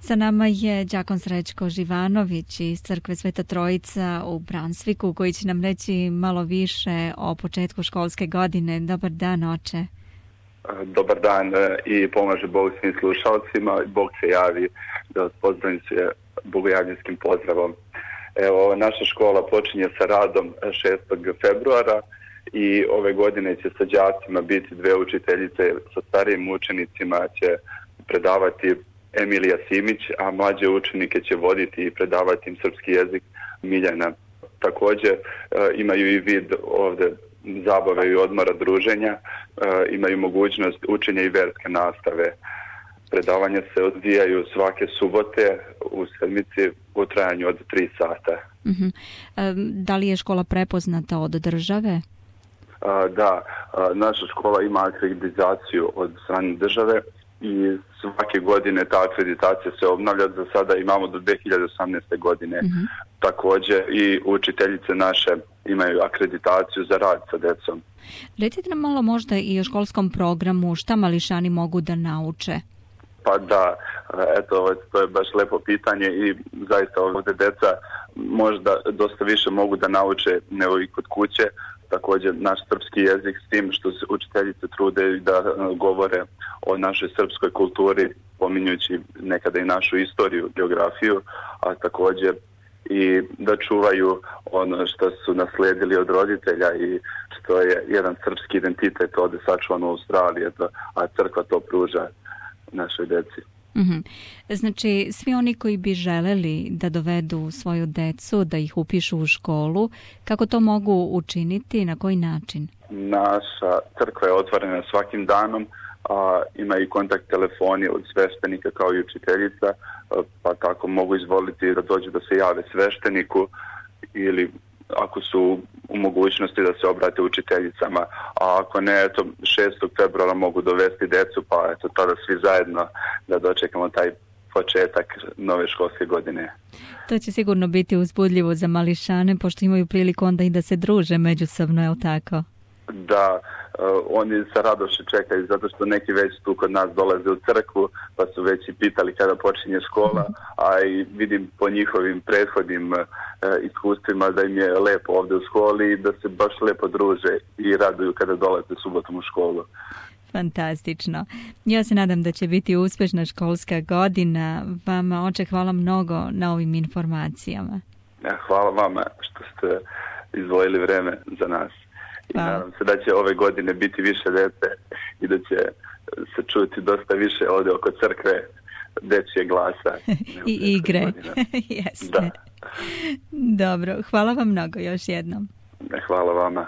Sa nama je đakon Srećko Živanović iz crkve Sveta Trojica u Bransviku, koji će nam reći malo više o početku školske godine. Dobar dan, oče. Dobar dan i pomaže Bog svim slušalcima. Bog se javi da vas pozdravim sve bogojavljinskim pozdravom. Evo, naša škola počinje sa radom 6. februara i ove godine će sa đacima biti dve učiteljice, sa starijim učenicima će predavati Emilija Simić, a mlađe učenike će voditi i predavati im srpski jezik Miljana. Također imaju i vid ovdje zabave i odmora, druženja, imaju mogućnost učenja i verske nastave. Predavanja se odvijaju svake subote u sedmici u trajanju od 3 sata. Da li je škola prepoznata od države? Da, naša škola ima akreditaciju od strane države i svake godine ta akreditacija se obnavlja. Za sada imamo do 2018. godine. Također i učiteljice naše imaju akreditaciju za rad sa decom. Recite nam malo možda i o školskom programu, šta mališani mogu da nauče? Pa da, eto, to je baš lepo pitanje i zaista ovdje deca možda dosta više mogu da nauče nego i kod kuće. Također naš srpski jezik, s tim što se učiteljice trude da govore o našoj srpskoj kulturi, pominjući nekada i našu istoriju, geografiju, a također i da čuvaju ono što su naslijedili od roditelja i što je jedan srpski identitet ovdje sačuvan u Australiji, a crkva to pruža našoj deci. Znači, svi oni koji bi želeli da dovedu svoju decu, da ih upišu u školu, kako to mogu učiniti, na koji način? Naša crkva je otvorena svakim danom, a ima i kontakt telefoni od sveštenika kao i učiteljica, pa tako mogu izvoliti da dođu da se jave svešteniku ili ako su u mogućnosti da se obrate učiteljicama, a ako ne, eto, 6. februara mogu dovesti decu, pa eto, tada svi zajedno da dočekamo taj početak nove školske godine. To će sigurno biti uzbudljivo za mališane, pošto imaju priliku onda i da se druže međusobno, je li tako? Da, oni sa radošću čekaju, zato što neki već tu kod nas dolaze u crkvu, pa su već i pitali kada počinje škola, a i vidim po njihovim prethodnim iskustvima da im je lepo ovdje u školi i da se baš lepo druže i raduju kada dolaze subotom u školu. Fantastično. Ja se nadam da će biti uspješna školska godina. Vama, oče, hvala mnogo na ovim informacijama. Hvala vama što ste izdvojili vreme za nas. I nadam se da će ove godine biti više dece i da će se čuti dosta više ovdje oko crkve dečje glasa. I igre. Jeste. Da. Dobro, hvala vam mnogo još jednom. Hvala vama.